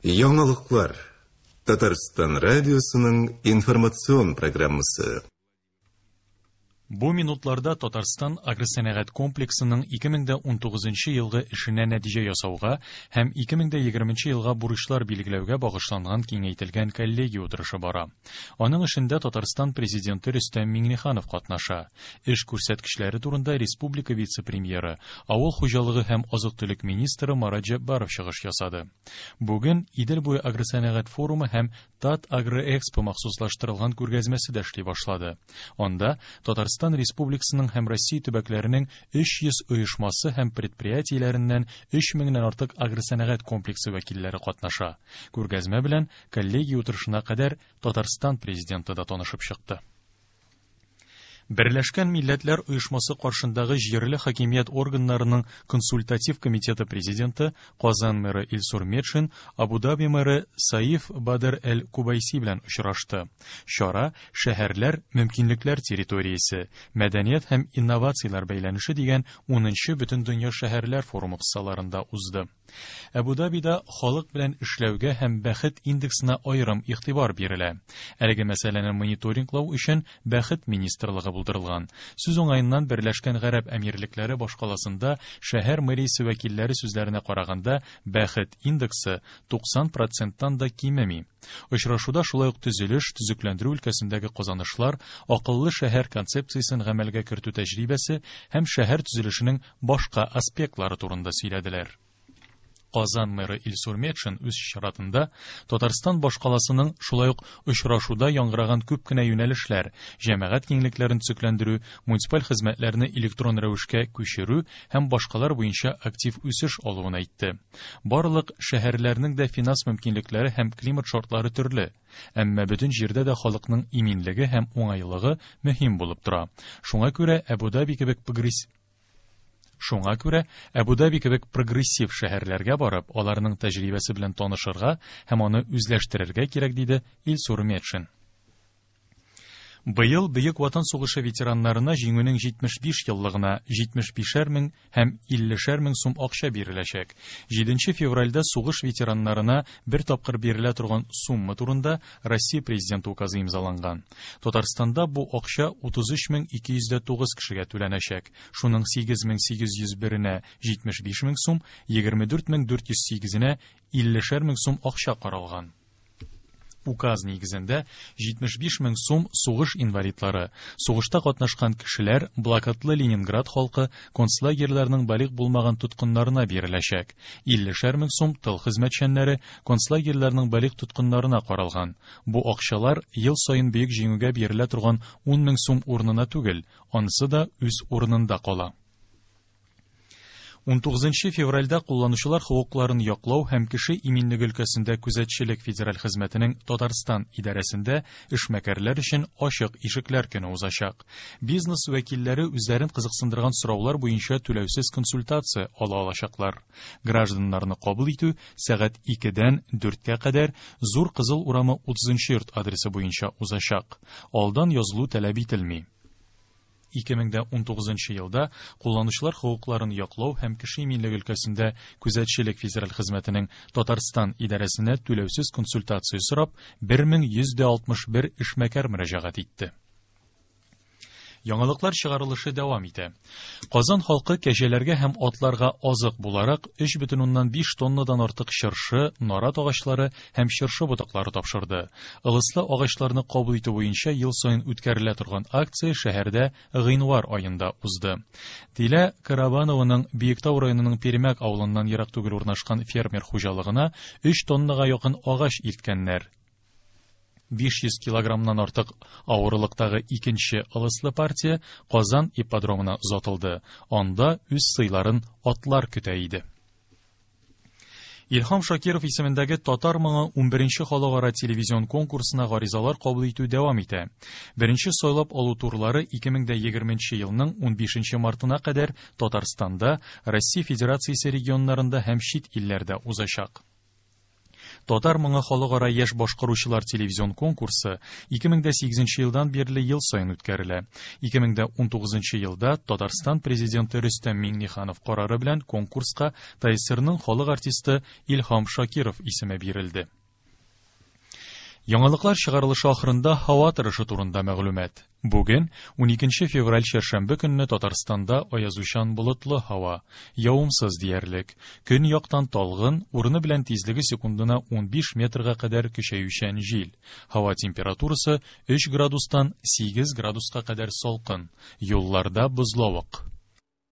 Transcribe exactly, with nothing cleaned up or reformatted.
Яңалыклар. Татарстан радиосының информацион программасы. Бу минутларда Татарстан агросәнәгать комплексының ике мең дә унтугызынчы елгы эшенә нәтиҗә ясауга һәм ике мең дә егерменче елга бурычлар билгеләүгә багышланган киңәйтелгән коллегия утырышы бара. Аның эшендә Татарстан президенты Рөстәм Миңнеханов катнаша. Эш күрсәткечләре турында республика вице-премьеры, авыл хуҗалыгы һәм азык-төлек министры Марат Җәббаров чыгыш ясады. Бүген Идел буе агросәнәгать форумы һәм Тат Агроэкспо махсуслаштырылган күргәзмәсе дә эшли башлады. Анда Татарстан Республикасының һәм Россия төбәкләренең өч йөз оешмасы һәм предприятиеләреннән өч меңнән артык агросәнәгать комплексы вәкилләре катнаша. Күргәзмә белән коллегия утырышына кадәр Татарстан президенты да танышып чыкты. Берләшкән Милләтләр Оешмасы каршындагы җирле хакимият органнарының консультатив комитеты президенты Казан мэры Илсур Метшин Абу-Даби мэры Саиф Бадр Эль-Кубайси белән очрашты. Чара шәһәрләр мөмкинлекләр территориясе, мәдәният һәм инновацияләр бәйләнеше дигән унынчы Бөтендөнья шәһәрләр форумы кысаларында узды. Абу-Дабида халык белән эшләүгә һәм бәхет индексына аерым игътибар бирелә. Әлеге мәсьәләне мониторинглау өчен Бәхет министрлыгы булдырылган. Сүз уңаеннан Берләшкән Гарәп Әмирлекләре башкаласында шәһәр мэриясе вәкилләре сүзләренә караганда бәхет индексы туксан проценттан да кимеми. Очрашуда шулай ук төзелеш, төзекләндерү өлкәсендәге казанышлар, акыллы шәһәр концепциясен гамәлгә кертү тәҗрибәсе һәм шәһәр төзелешенең башка аспектлары турында сөйләделәр. Казан мэры Илсур Метшин үз чиратында Татарстан башкаласының шулай ук очрашуда яңгыраган күп кенә юнәлешләр, җәмәгать киңлекләрен төзекләндерү, муниципаль хезмәтләрне электрон рәвешкә күчерү һәм башкалар буенча актив үсеш алуын әйтте. Барлык шәһәрләрнең дә финанс мөмкинлекләре һәм климат шартлары төрле, әмма бөтен җирдә дә халыкның иминлеге һәм уңайлыгы мөһим булып тора. Шуңа күрә Абу-Даби кебек прогресс Шуңа күрә Абу-Даби кебек прогрессив шәһәрләргә барып, аларның тәҗрибәсе белән танышырга һәм аны үзләштерергә кирәк, диде Илсур Метшин. Быел Бөек Ватан сугышы ветераннарына җиңүнең җитмеш биш еллыгына җитмеш бишәр мең һәм иллешәр мең сум акча биреләчәк. Җиденче февральдә сугыш ветераннарына бер тапкыр бирелә торган сумма турында Россия президенты указы имзаланган. Татарстанда бу акча утыз өч мең ике йөз дә тугыз кешегә түләнәчәк. Шуның сигез мең сигез йөз беренә җитмеш биш мең сум, егерме дүрт мең дүрт йөз сигезенә иллешәр мең сум акча каралган. Указ нигезендә җитмеш биш мең сум сугыш инвалидлары, сугышта катнашкан кешеләр, блокадлы Ленинград халкы, концлагерьларның балигъ булмаган тоткыннарына биреләчәк. Иллешәр мең сум тыл хезмәтчәннәре, концлагерьларның балигъ тоткыннарына каралган. Бу акчалар ел саен бөек җиңүгә бирелә торган ун мең сум урынына түгел, анысы да үз урынында кала. Унтугызынчы февральдә кулланучылар хокукларын яклау һәм кеше иминлеге өлкәсендә күзәтчелек федераль хезмәтенең Татарстан идарәсендә эшмәкәрләр өчен ачык ишекләр көне узачак. Бизнес вәкилләре үзләрен кызыксындырган сораулар буенча түләүсез консультация ала алачаклар. Гражданнарны кабул итү сәгать икедән дүрткә кадәр Зур Кызыл урамы утызынчы йорт адресы буенча узачак. Алдан язылу таләп ителми. Ике мең дә унтугызынчы елда кулланучылар хокукларын яклау һәм кеше иминлеге өлкәсендә күзәтчелек федераль хезмәтенең Татарстан идарәсенә түләүсез консультация сорап бер мең йөз дә алтмыш бер эшмәкәр мөрәҗәгать итте. Яңалыклар чыгарылышы дәвам итә. Казан халкы кәҗәләргә һәм атларга азык буларак өч бөтен уннан биш тоннадан артык чыршы, нарат агачлары һәм чыршы ботаклары тапшырды. Ылыслы агачларны кабул итү буенча ел саен үткәрелә торган акция шәһәрдә гыйнвар аенда узды. Дилә Карабанованың Биектау районының Пермяк авылыннан ерак түгел урнашкан фермер хуҗалыгына өч тоннага якын агач илткәннәр. Биш йөз килограммнан артык авырлыктагы икенче ылыслы партия Казан ипподромына озатылды. Анда үз сыйларын атлар көтә иде. Илһам Шакиров исемендәге Татар моңы унберенче халыкара телевизион конкурсына гаризалар кабул итү дәвам итә. Беренче сайлап алу турлары ике мең дә егерменче елның унбишенче мартына кадәр Татарстанда, Россия Федерациясе регионнарында һәм чит илләрдә узачак. Татар моңы халыкара яшь башкаручылар телевизион конкурсы ике мең дә сигезенче елдан бирле ел саен үткәрелә. Ике мең дә унтугызынчы елда Татарстан президенты Рөстәм Миңнеханов карары белән конкурска ТАССРның халык артисты Илһам Шакиров исеме бирелде. Яңалыклар чыгарылышы ахырында һава торышы турында мәгълүмат. Бүген уникенче февраль чәршәмбе көнне Татарстанда аязучан болытлы һава, явымсыз диярлек. Көньяктан талгын, урыны белән тизлеге секундына унбиш метрга кадәр көчәючән җил. Һава температурасы өч градустан сигез градуска кадәр салкын. Юлларда бозлавык.